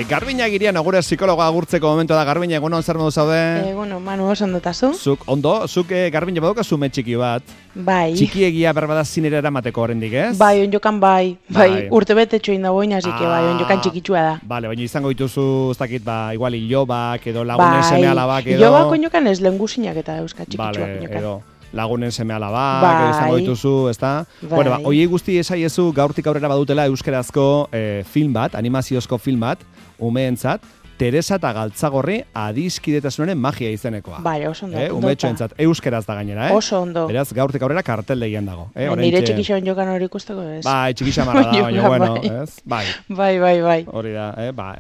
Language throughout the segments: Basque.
Garbina Agirian agure psikologoa agurtzeko momentu da. Garbina, egunon zer modu zaude? Manu, oso ondotazu. Zuk Garbina badukazu ume txiki bat. Bai. Txikiegia berbada zinera eramateko oraindik, ez? Bai, onjokan bai. Urte bete txoin dago ina, así que bai, onjokan txikitsua da. Vale, baina izango dituzu, ez dakit, igual ilobak edo lagunen seme alabak edo. Ilobak onjokan ez lengusinak eta euska txikitsuak onjokan. Edo lagunen seme alabak, edo izango dituzu, ezta? Bueno, hoiei guzti esaiezu gaurtik aurrera badutela euskerazko film bat, animaziozko film bat, umeentzat, Teresa eta Galtzagorri adiskidetasunaren magia izenekoa. Bai, oso ondo. Umetxoentzat, euskeraz da gainera, Oso ondo. Beraz, gaurtik aurrera karteldegian dago. Nire txikisa onjokan hori ikusteko ez. Bai, txikisa marra da, baina bueno, ez? Bai. Bai. Hori da,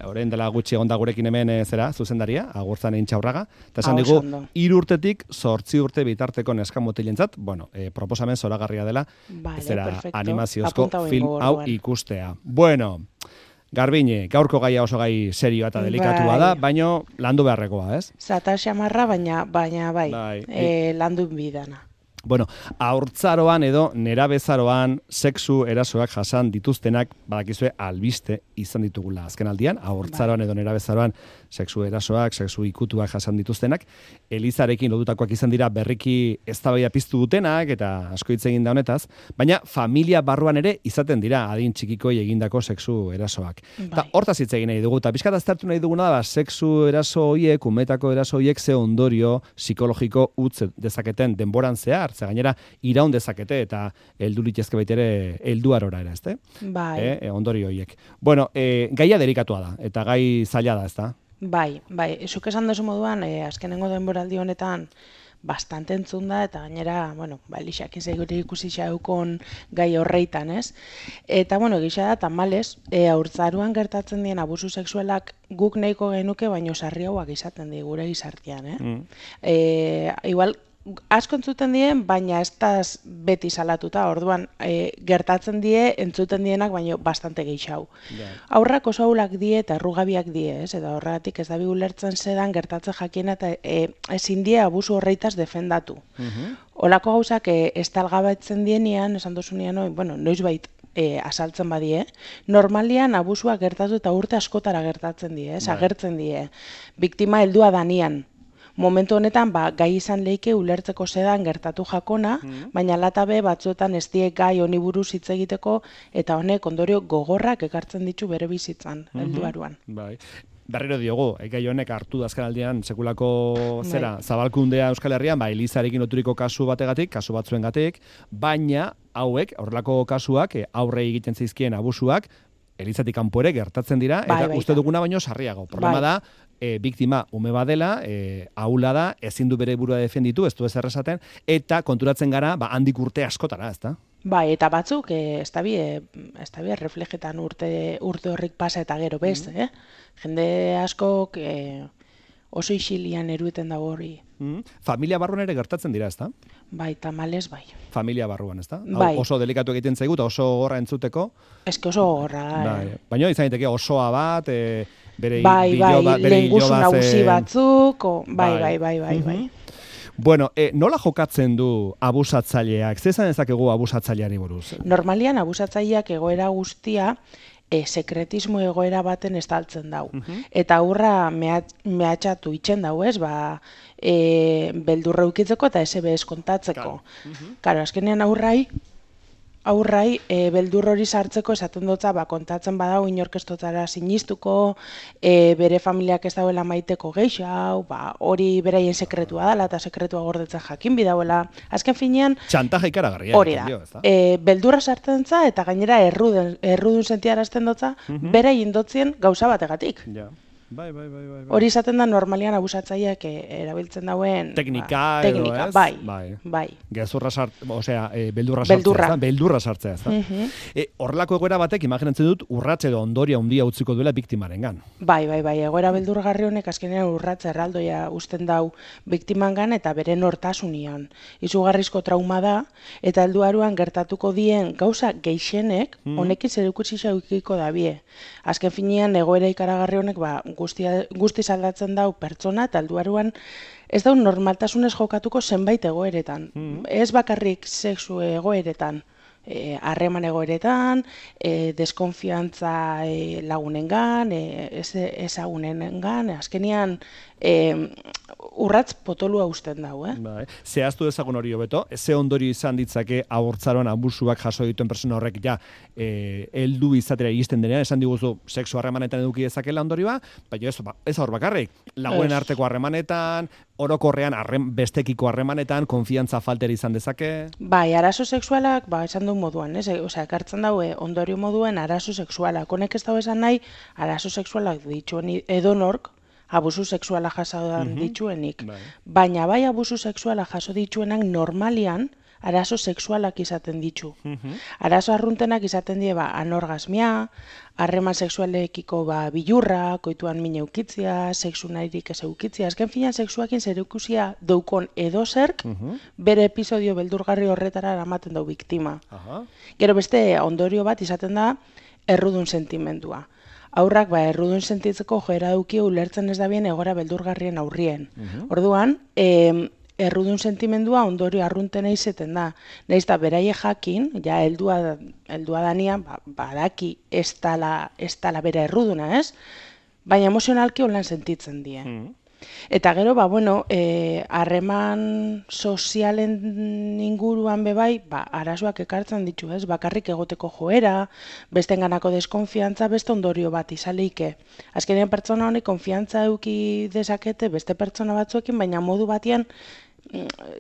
orain dela gutxi egonda gurekin hemen zuzendaria, Agurtzan Intxaurraga. Eta esan digu, 3 urtetik 8 urte bitarteko neskamotilentzat, proposamen zoragarria dela, animaziozko film hau ikustea. Bueno, Garbine, gaurko gaia oso gai serioa eta delikatua da, baina landu beharrekoa, ez? Zata xamarra, baina bai, landu bidana. Bueno, haurtzaroan edo nerabezaroan sexu erasoak jasan dituztenak, badakizue albiste izan ditugula azken aldian, haurtzaroan edo nerabezaroan sexu erasoak, sexu ikutuak jasan dituztenak, Elizarekin lotutakoak izan dira berriki eztabaida piztu dutenak eta asko hitz egin da honetaz, baina familia barruan ere izaten dira adin txikikoi egindako sexu erasoak. Eta hortaz hitz egin nahi dugu, eta pixkat aztertu nahi duguna da, sexu eraso horiek, umetako eraso horiek ze ondorio psikologiko utz dezaketen denboran zehar, ze gainera iraun dezakete eta heldu litezke baita ere helduarora ere, ezte? Bai. Ondorio horiek. Bueno, gaia delikatua da, eta gai zaila da, ezta? Bai, zuk esan duzu moduan, azkenengo denboraldi honetan bastante entzun da, eta gainera, Elixak izegure ikusi xaukon gai horreitan, ez? Eta, gisa da, tamalez, haurtzaruan gertatzen dien abusu sexualak guk nahiko genuke, baino sarriagoak izaten di gure gizartean, Igual, asko entzuten dien, baina ez da beti salatuta, orduan gertatzen die, entzuten dienak, baina bastante gehiago. Aurrak oso aulak die eta errugabiak die, ez? Eta horregatik ez dabi ulertzen zedan gertatzen jakiena eta ezin die abusu horreitaz defendatu. Olako gauzak estalgabetzen dienean, esan dozunean, noizbait asaltzen badie, normalian abusua gertatu eta urte askotara gertatzen die, agertzen die. Biktima heldua danian. Momentu honetan, gai izan leike ulertzeko zedan gertatu jakona, baina latabe batzuetan ez die gai honi buruz hitz egiteko, eta honek ondorio gogorrak ekartzen ditu bere bizitzan, helduaruan. Bai. Berriro diogu, gai honek hartu da azken aldian sekulako zabalkundea Euskal Herrian, Elizarekin loturiko kasu bategatik, kasu batzuengatik, baina hauek, horrelako kasuak, aurrei egiten zaizkien abusuak, Elizatik kanpo ere gertatzen dira, eta uste duguna baino sarriago. Problema da, biktima ume badela, ahula da, ezin du bere burua defenditu, ez du ezer esaten, eta konturatzen gara, handik urte askotara, ezta? Bai, eta batzuk, ez da bi reflejetan urte horrik pasa eta gero bez, Jende askok oso isilian erueten dago hori. Familia barruan ere gertatzen dira, ezta? Bai, tamalez bai. Familia barruan, ezta? Bai. Oso delikatu egiten zaigu eta oso gogorra entzuteko. Eske oso gogorra. Baina izan daiteke osoa bat, bere lehengusu nagusi batzuk, bai. Bueno, nola jokatzen du abusatzaileak? Zer esan dezakegu abusatzaileari buruz? Normalian abusatzaileak egoera guztia sekretismo egoera baten estaltzen dau. Eta aurra mehatxatu itxen dau, ez? Beldurra ukitzeko eta SBS kontatzeko. Karo, azkenean aurrai beldur hori sartzeko esaten dutza, kontatzen badau inorkestotara sinistuko, bere familiak ez dauela maiteko geixau, hori beraien sekretua dela eta sekretua gordetzen jakin bidauela. Azken finean, txantaja ikaragarria. Hori da. Beldurra sartzen za eta gainera errudun sentiarazten dutza, beraien dotzien gauza bategatik. Bai. Hori izaten da normalian abusatzaileak erabiltzen dauen teknika, ez? Bai. Gezurra beldurra sartzea, ezta? Horrelako egoera batek imaginatzen dut urratze edo ondoria handia utziko duela biktimarengan. Bai, egoera beldurgarri honek azkenean urratze erraldoia uzten dau biktimangan eta bere nortasunian. Izugarrizko trauma da eta helduaruan gertatuko dien gauza gehienek honekin zerikusi xaukiko dabie. Azken finean egoera ikaragarri honek guztiz aldatzen dau pertsona eta helduaruan ez dau normaltasunez jokatuko zenbait egoeretan. Ez bakarrik sexu egoeretan. harreman egoeretan, deskonfiantza lagunengan, ezagunengan, azkenian urratz potolua usten dau, Bai. Zehaztu dezagun hori hobeto, ze ondorio izan ditzake abortzaroan abusuak jaso dituen persona horrek ja heldu izatera iristen denean, esan diguzu sexu harremanetan eduki dezakela ondorioa, baina ez hor bakarrik, lagunen arteko harremanetan, orokorrean bestekiko harremanetan, konfiantza faltera izan dezake. Bai, arazo sexualak, esan duen moduan, ekartzen daue ondorio moduen arazo sexualak. Honek ez dago esan nahi, arazo sexualak dituen edonork, abusu sexuala jaso dituenik. Baina bai abusu sexuala jaso dituenak normalian arazo sexualak izaten ditu. Arazo arruntenak izaten die anorgasmia, harreman sexualekiko bilurra, koituan min eukitzia, sexu nahirik ez eukitzia. Azken finan sexuakin zerikusia daukon edozerk, bere episodio beldurgarri horretara eramaten dau biktima. Gero beste ondorio bat izaten da errudun sentimendua. Aurrak errudun sentitzeko joera duki ulertzen ez da bien egora beldurgarrien aurrien. Orduan, errudun sentimendua ondorio arruntena izeten da. Nahiz da beraie jakin, ja heldua danian, badaki ez tala bera erruduna, ez? Baina emozionalki holan sentitzen die. Eta gero, harreman sozialen inguruan bebai, arazoak ekartzen ditu, ez? Bakarrik egoteko joera, bestenganako deskonfiantza, beste ondorio bat izaleike. Azkenean pertsona honek konfiantza eduki dezakete beste pertsona batzuekin, baina modu batean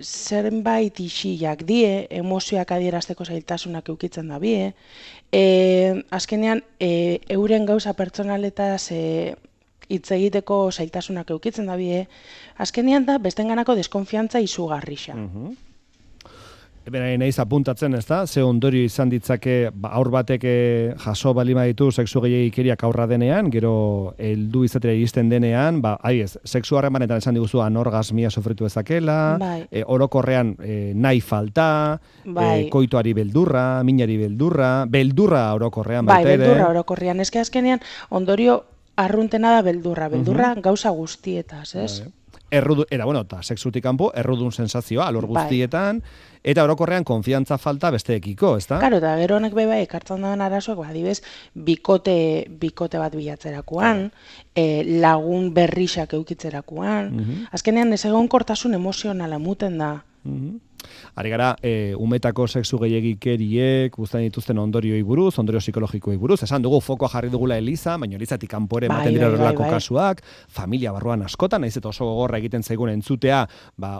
zenbait isiak die, emozioak adierazteko zailtasunak eukitzen da bie. Azkenean, euren gauza pertsonaletaz hitz egiteko zailtasunak eukitzen da bie. Azkenean da, bestenganako deskonfiantza izugarrixa. Naiz apuntatzen, ez da? Ze ondorio izan ditzake aur batek jaso balima ditu sexu gehiagikeriak aurra denean, gero heldu izatera iristen denean, sexu harremanetan esan diguzu anorgasmia sofritu ezakela, orokorrean nahi falta, koituari beldurra, minari beldurra orokorrean baita ere. Beldurra orokorrean, eske azkenean ondorio arruntena da beldurra gauza guztietaz, ez? Eta sexutik kanpo, errudun sensazioa, alor guztietan, eta orokorrean konfiantza falta besteekiko, ez da? Karo, eta gero honek beba ekartzen dagoen arazoak, adibez, bikote bat bilatzerakoan, lagun berrixak eukitzerakoan, azkenean ez egonkortasun emozionala muten da. Ari gara, umetako sexu gehiagikeriek guztain dituzten ondorioi buruz, ondorio psikologikoei buruz. Esan dugu, fokoa jarri dugula Eliza, baina Elizatik kanpore ematen dira horrelako kasuak, familia barruan askotan, nahiz eta oso gogorra egiten zaigun entzutea,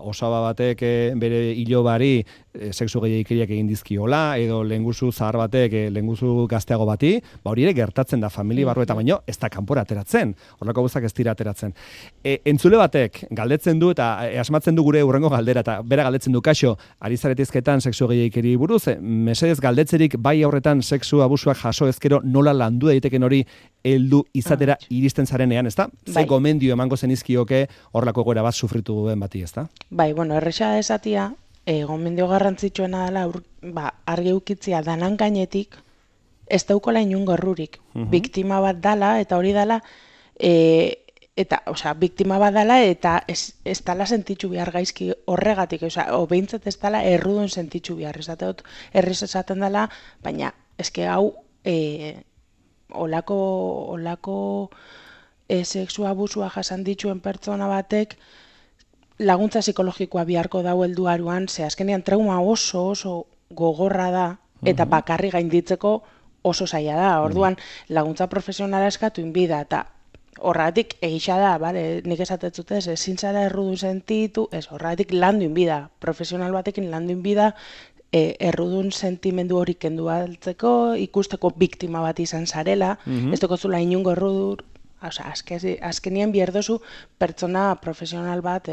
osaba batek bere ilobari sexu gehiagikeriak egin dizkiola, edo lehenguzu zahar batek, lehenguzu gazteago bati, hori ere gertatzen da familia barru eta baino, ez da kanpora ateratzen, horrelako guztak ez dira ateratzen. Entzule batek galdetzen du eta asmatzen du gure hurrengo galdera, eta bera galdetzen du kaixo, ari zaretizketan sexu gehiagikeri buruz, mesedez galdetzerik bai aurretan sexu abusuak jaso ezkero nola landu daiteken hori heldu izatera iristen zarenean, ezta? Ze gomendio emango zenizkioke horrelako egoera bat sufritu duen bati, ezta? Erresa esatia, gomendio garrantzitsuena dela argi ukitzia danan gainetik ez daukola inungo errurik. Biktima bat dala eta hori dala biktima bat dela eta ez dala sentitzu behar gaizki horregatik, behintzat ez dala errudun sentitzu behar, erriz esaten dela, baina eske hau olako sexu abusua jasan dituen pertsona batek laguntza psikologikoa biharko dau helduaruan, ze azkenean trauma oso gogorra da, eta bakarri gainditzeko oso zaila da. Orduan, laguntza profesionala eskatu inbida, eta horregatik egisa da, nik esatetzutez, ezin zara errudun sentitu, horregatik landu inbida, profesional batekin landu inbida, errudun sentimendu hori kendu altzeko, ikusteko biktima bat izan zarela, ez dokozula inungo errudur, azkenien bierdozu pertsona profesional bat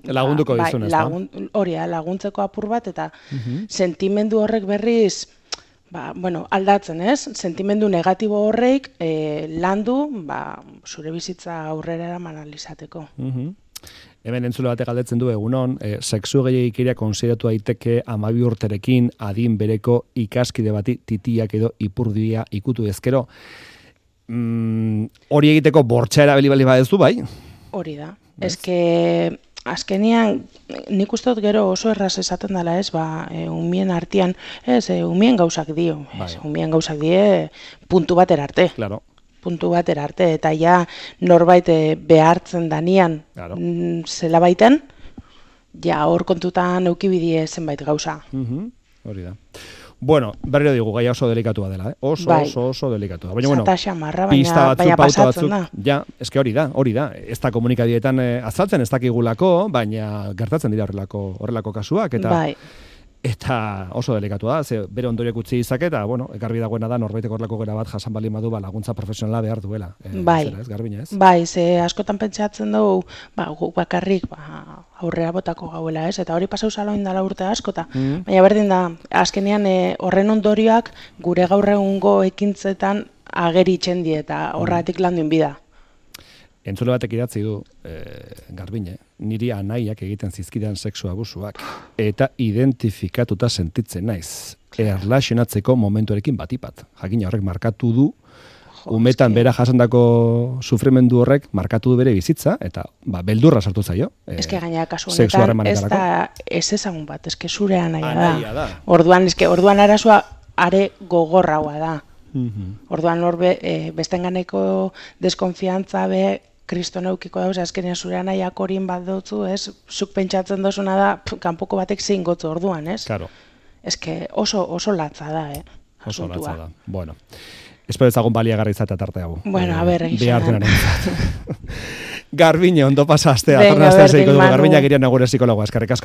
lagunduko dizun, ez da? Hori, laguntzeko apur bat, eta sentimendu horrek berriz aldatzen, ez? Sentimendu negatibo horreik landu, zure bizitza aurrera eraman alizateko. Hemen entzule batek galdetzen du egunon, sexu gehiagikeria konsideratu daiteke 12 urterekin adin bereko ikaskide bati titiak edo ipurdia ikutu ezkero. Hori egiteko bortxa erabili bali badezu, bai? Hori da. Eske azkenian, nik uste dut gero oso erraz esaten dela ez, umien artean, umien gauzak dio, umien gauzak die puntu batera arte. Claro. Puntu batera arte, eta ja norbait behartzen danian zela baiten, ja hor kontutan eukibidie zenbait gauza. Hori da. Bueno, berriro digu, gaia oso delikatua dela, oso delikatua. Baina, bueno, pista batzuk, pauta batzuk, ja, eske hori da. Ez da komunikadietan azaltzen, ez dakigulako, baina gertatzen dira horrelako kasuak, eta oso delikatua da, ze bere ondoriak utzi izake, eta, bueno, ekarbi dagoena da, norbaitek horrelako gera bat jasan bali madu, laguntza profesionala behar duela. Ez, Garbina, ez? Bai, ze askotan pentsatzen dugu, guk bakarrik, aurrera botako gauela, ez? Eta hori pasau zaloin dela urte askota. Baina berdin da, azkenean horren ondorioak gure gaur egungo ekintzetan ageritzen die, eta horretik landuen bida. Entzule batek idatzi du, Garbine, niri anaiak egiten zizkidan sexu abusuak, eta identifikatuta sentitzen naiz, erlaxionatzeko momentuarekin batipat. Jakina horrek markatu du, umetan bera jasandako sufrimendu horrek markatu du bere bizitza, eta beldurra sartu zaio. Eske gaina kasu honetan ez da ez ezagun bat, eske zure anaia da. Orduan arazoa are gogorragoa da. Orduan hor bestenganeko deskonfiantza kriston eukiko dauz, azkenean zure anaiak horin bat dutzu, ez? Zuk pentsatzen dozuna da, kanpoko batek zein gotzu orduan, ez? Claro. Eske oso latza da, Oso latza da. Bueno, espero ezagun baliagarri izatea tarte hau. Bueno, a ber, egizan. Garbine, ondo pasa astea. Garbina girian agure psikologoa, eskerrik asko.